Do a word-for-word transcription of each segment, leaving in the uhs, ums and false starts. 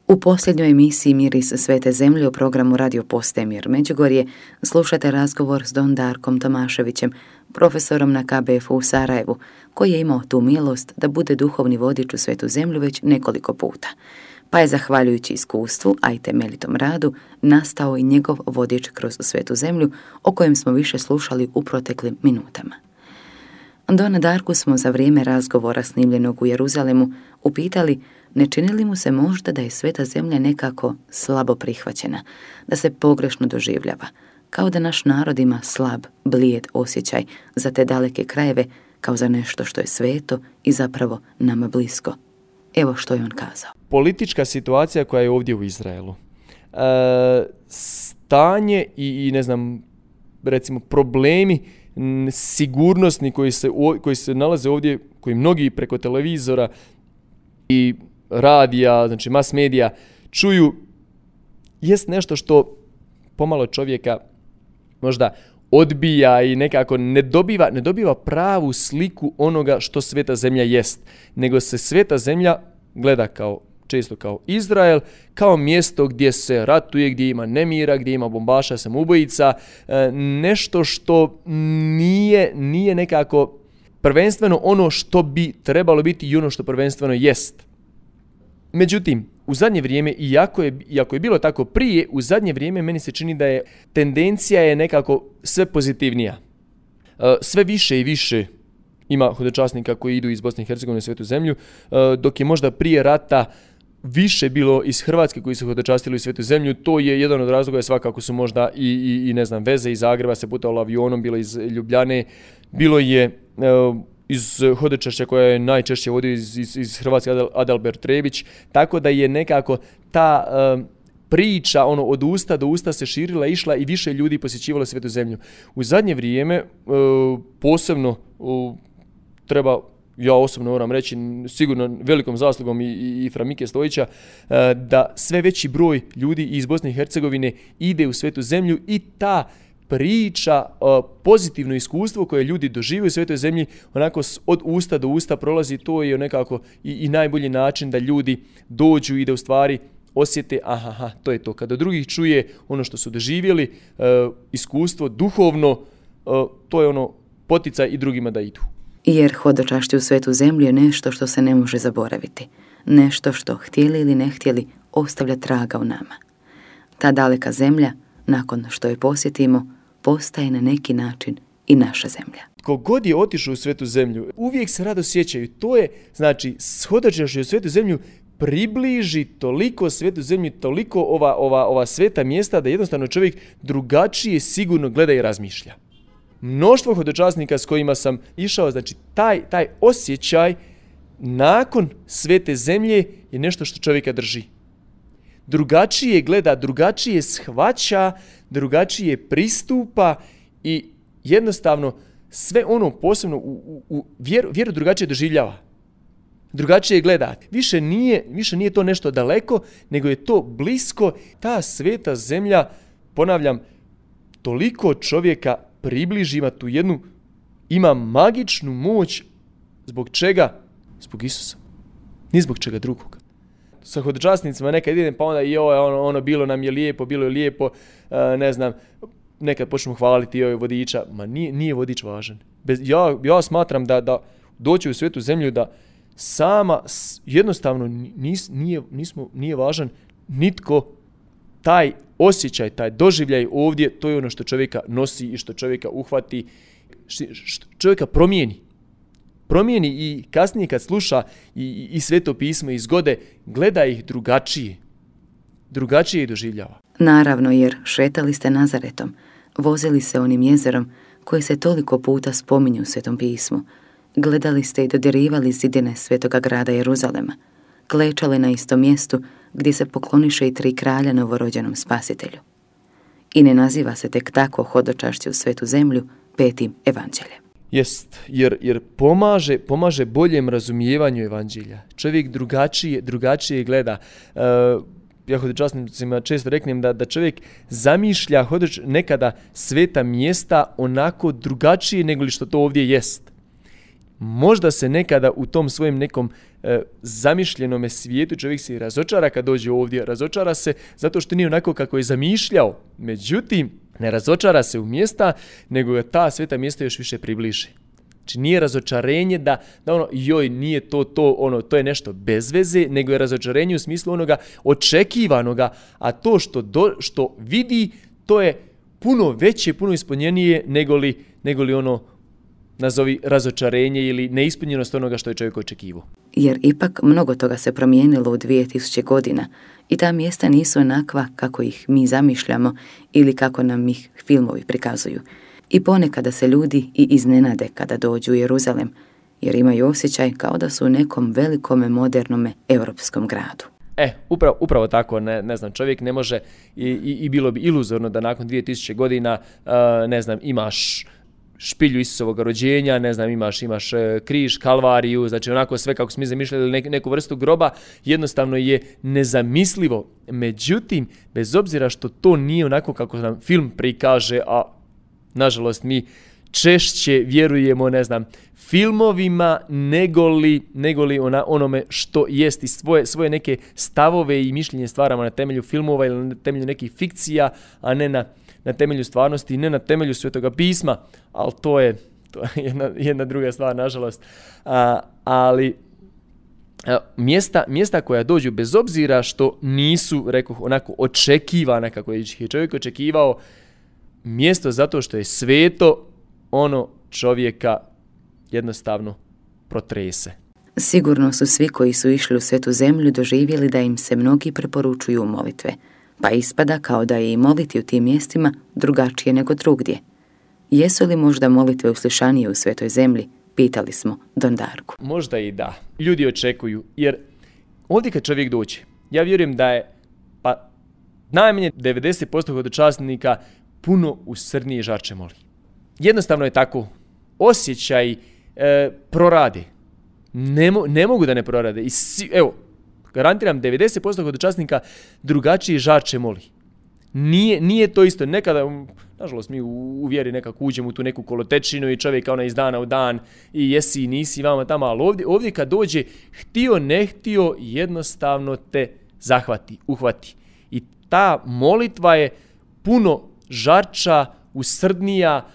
U posljednjoj emisiji Miris svete zemlje u programu Radio Postaje Mir Međugorje slušate razgovor s don Darkom Tomaševićem, profesorom na K B F U u Sarajevu, koji je imao tu milost da bude duhovni vodič u svetu zemlju već nekoliko puta, pa je zahvaljujući iskustvu, a i temeljitom radu, nastao i njegov vodič kroz svetu zemlju, o kojem smo više slušali u proteklim minutama. Dona Darku smo za vrijeme razgovora snimljenog u Jeruzalemu upitali ne čini li mu se možda da je sveta zemlja nekako slabo prihvaćena, da se pogrešno doživljava, kao da naš narod ima slab, blijed osjećaj za te daleke krajeve, kao za nešto što je sveto i zapravo nama blisko. Evo što je on kazao. Politička situacija koja je ovdje u Izraelu, e, stanje i, i ne znam, recimo problemi sigurnosni koji se, koji se nalaze ovdje, koji mnogi preko televizora i radija, znači mass medija, čuju, jest nešto što pomalo čovjeka možda odbija i nekako ne dobiva, ne dobiva pravu sliku onoga što sveta zemlja jest, nego se sveta zemlja gleda kao često kao Izrael, kao mjesto gdje se ratuje, gdje ima nemira, gdje ima bombaša, samoubojica, nešto što nije, nije nekako prvenstveno ono što bi trebalo biti i ono što prvenstveno jest. Međutim, u zadnje vrijeme, iako je, iako je bilo tako prije, u zadnje vrijeme meni se čini da je tendencija je nekako sve pozitivnija. Sve više i više ima hodočasnika koji idu iz Bosne i Hercegovine u svetu zemlju, dok je možda prije rata više bilo iz Hrvatske koji su hodočastili u svetu zemlju. To je jedan od razloga, svakako su možda i, i, i ne znam, veze iz Zagreba se putovalo avionom, bilo iz Ljubljane, bilo je uh, iz hodočašća koja je najčešće vodio iz, iz, iz Hrvatske Adalbert Trebić, tako da je nekako ta uh, priča ono od usta do usta se širila, išla i više ljudi posjećivalo svetu zemlju. U zadnje vrijeme uh, posebno uh, treba, ja osobno moram reći, sigurno velikom zaslugom i, i, i Framike Stojića, da sve veći broj ljudi iz Bosne i Hercegovine ide u svetu zemlju i ta priča, pozitivno iskustvo koje ljudi doživaju u svetoj zemlji, onako od usta do usta prolazi, to je nekako i, i najbolji način da ljudi dođu i da u stvari osjete, aha, aha, to je to. Kada drugih čuje ono što su doživjeli, iskustvo duhovno, to je ono poticaj i drugima da idu. Jer hodočašće u svetu zemlju je nešto što se ne može zaboraviti. Nešto što, htjeli ili ne htjeli, ostavlja traga u nama. Ta daleka zemlja, nakon što je posjetimo, postaje na neki način i naša zemlja. Tko god je otišao u svetu zemlju, uvijek se rado sjećaju. To je, znači, hodočašće u svetu zemlju približi toliko svetu zemlju, toliko ova, ova, ova sveta mjesta da jednostavno čovjek drugačije sigurno gleda i razmišlja. Mnoštvo hodočasnika s kojima sam išao, znači taj, taj osjećaj nakon svete zemlje je nešto što čovjeka drži. Drugačije gleda, drugačije shvaća, drugačije pristupa i jednostavno sve ono posebno u, u, u vjeru, vjeru drugačije doživljava. Drugačije gleda. Više nije, više nije to nešto daleko, nego je to blisko. Ta sveta zemlja, ponavljam, toliko čovjeka približi, ima tu jednu, ima magičnu moć. Zbog čega? Zbog Isusa. Ni zbog čega drugog. Sa hodočasnicima nekad idem, pa onda i ovo, ono, ono, bilo nam je lijepo, bilo je lijepo, uh, ne znam, nekad počnemo hvaliti joj vodiča. Ma nije, nije vodič važan. Bez, ja, ja smatram da, da doći u svetu zemlju, da sama, jednostavno nis, nije, nismo, nije važan nitko. Taj osjećaj, taj doživljaj ovdje, to je ono što čovjeka nosi i što čovjeka uhvati, što čovjeka promijeni. Promijeni i kasnije kad sluša i, i sveto pismo i zgode, gleda ih drugačije. Drugačije ih doživljava. Naravno, jer šetali ste Nazaretom, vozili se onim jezerom koje se toliko puta spominju u svetom pismu. Gledali ste i dodirivali zidine svetoga grada Jeruzalema. Klečali na istom mjestu gdje se pokloniše i tri kralja novorođenom spasitelju. I ne naziva se tek tako hodočašće u svetu zemlju petim evanđeljem. Jest, jer, jer pomaže, pomaže boljem razumijevanju evanđelja. Čovjek drugačije, drugačije gleda. Uh, ja hodočasnicima često reknem da, da čovjek zamišlja hodoč, nekada sveta mjesta onako drugačije nego li što to ovdje jest. možda se nekada u tom svojem nekom e, zamišljenome svijetu čovjek se razočara kad dođe ovdje, razočara se zato što nije onako kako je zamišljao. Međutim, ne razočara se u mjesta, nego ga ta sveta mjesta još više približi. Znači nije razočarenje da, da ono, joj, nije to, to, ono, to je nešto bez veze, nego je razočarenje u smislu onoga očekivanoga, a to što, do, što vidi, to je puno veće, puno ispunjenije nego li, nego li ono, nazovi razočarenje ili neispunjenost onoga što je čovjek očekivao. Jer ipak mnogo toga se promijenilo u dvije tisuće godina i ta mjesta nisu onakva kako ih mi zamišljamo ili kako nam ih filmovi prikazuju. I ponekada se ljudi i iznenade kada dođu u Jeruzalem, jer imaju osjećaj kao da su u nekom velikome, modernome europskom gradu. E, upravo, upravo tako, ne, ne znam, čovjek ne može i, i, i bilo bi iluzorno da nakon dvije tisuće godina, uh, ne znam, imaš špilju Isusovog rođenja, ne znam, imaš, imaš križ, kalvariju, znači onako sve kako smo mi zamišljali neku, neku vrstu groba, jednostavno je nezamislivo. Međutim, bez obzira što to nije onako kako nam film prikaže, a nažalost mi češće vjerujemo, ne znam, filmovima negoli, negoli ona, onome što jest i svoje, svoje neke stavove i mišljenje stvaramo na temelju filmova ili na temelju nekih fikcija, a ne na na temelju stvarnosti i ne na temelju Svetoga pisma, ali to je, to je jedna, jedna druga stvar, nažalost. A, ali a, mjesta, mjesta koja dođu bez obzira što nisu, rekoh, onako očekivana kako je čovjek očekivao, mjesto zato što je sveto, ono čovjeka jednostavno protrese. Sigurno su svi koji su išli u Svetu zemlju doživjeli da im se mnogi preporučuju molitve, pa ispada kao da je i moliti u tim mjestima drugačije nego drugdje. Jesu li možda molitve uslišanije u Svetoj zemlji? Pitali smo Don Darku. Možda i da. Ljudi očekuju, jer ovdje kad čovjek dođe, ja vjerujem da je pa najmanje devedeset posto hodočasnika puno usrdnije žarče moli. Jednostavno je tako. Osjećaj e, prorade. Ne, mo, ne mogu da ne prorade. I si, evo, garantiram, devedeset posto hodočasnika drugačije žarče moli. Nije, nije to isto. Nekada, nažalost, mi u, u vjeri nekako uđemo u tu neku kolotečinu i čovjek ona iz dana u dan i jesi i nisi vama tamo, ali ovdje, ovdje kad dođe, htio, ne htio, jednostavno te zahvati, uhvati. I ta molitva je puno žarča, usrdnija,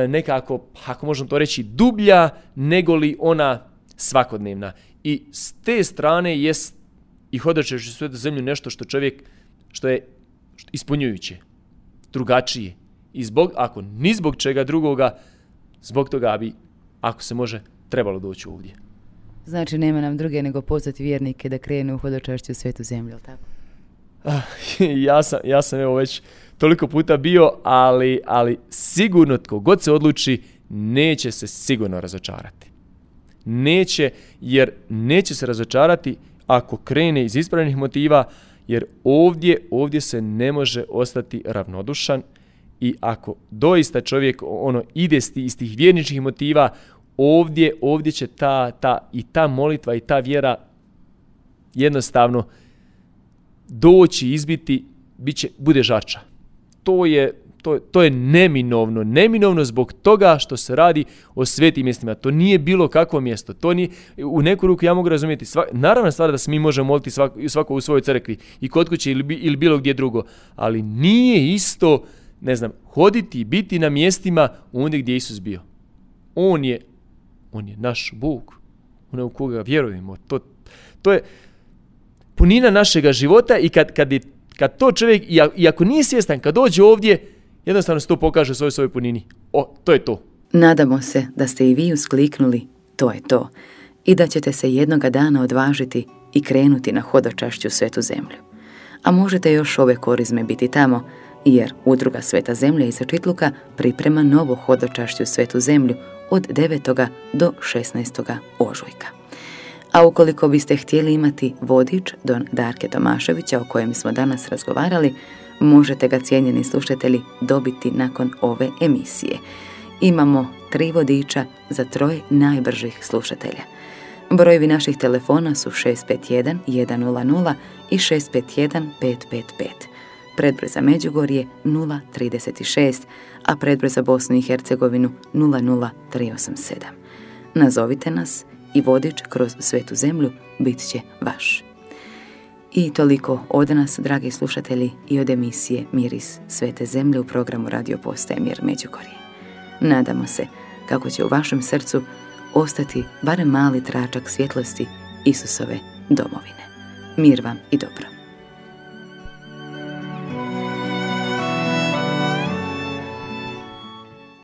nekako, ako možemo to reći, dublja, nego li ona svakodnevna. I s te strane jest i hodočašće u Svetu zemlju nešto što čovjek, što je ispunjujuće, drugačije. I zbog, ako ni zbog čega drugoga, zbog toga bi, ako se može, trebalo doći ovdje. Znači, nema nam druge nego pozvati vjernike da krenu u hodočašće u Svetu zemlju, tako? ja, sam, ja sam evo već toliko puta bio, ali, ali sigurno tko god se odluči, neće se sigurno razočarati. Neće, jer neće se razočarati ako krene iz ispravnih motiva, jer ovdje, ovdje se ne može ostati ravnodušan i ako doista čovjek ono ide iz tih vjerničkih motiva, ovdje, ovdje će ta, ta, i ta molitva i ta vjera jednostavno doći, izbiti, bit će, bude žarča. To je, to, to je neminovno. Neminovno zbog toga što se radi o svetim mjestima. To nije bilo kakvo mjesto. To nije, u neku ruku ja mogu razumjeti. Sva, naravna stvar da se mi možemo moliti svako, svako u svojoj crkvi i kod kuće ili, ili bilo gdje drugo. Ali nije isto, ne znam, hoditi i biti na mjestima ondje gdje Isus bio. On je, on je naš Bog. On je u koga vjerujemo. To, to je punina našega života i kad, kad, je, kad to čovjek, i ako nije svjestan, kad dođe ovdje, jednostavno se to pokaže u svojoj, svojoj punini. O, to je to. Nadamo se da ste i vi uskliknuli, to je to, i da ćete se jednoga dana odvažiti i krenuti na hodočašću Svetu zemlju. A možete još ove korizme biti tamo, jer Udruga Sveta zemlja iz Čitluka priprema novo hodočašću Svetu zemlju od devetog do šesnaestog ožujka. A ukoliko biste htjeli imati vodič Don Darke Tomaševića o kojem smo danas razgovarali, možete ga, cijenjeni slušatelji, dobiti nakon ove emisije. Imamo tri vodiča za troje najbržih slušatelja. Brojevi naših telefona su šest pet jedan jedan nula nula i šest pet jedan pet pet pet. Predbroj za Međugorje nula trideset šest, a predbroj za Bosnu i Hercegovinu nula nula tri osam sedam. Nazovite nas i vodič kroz svetu zemlju bit će vaš. I toliko od nas, dragi slušatelji, i od emisije Miris svete zemlje u programu Radio Postaje Mir Međugorje. Nadamo se kako će u vašem srcu ostati barem mali tračak svjetlosti Isusove domovine. Mir vam i dobro.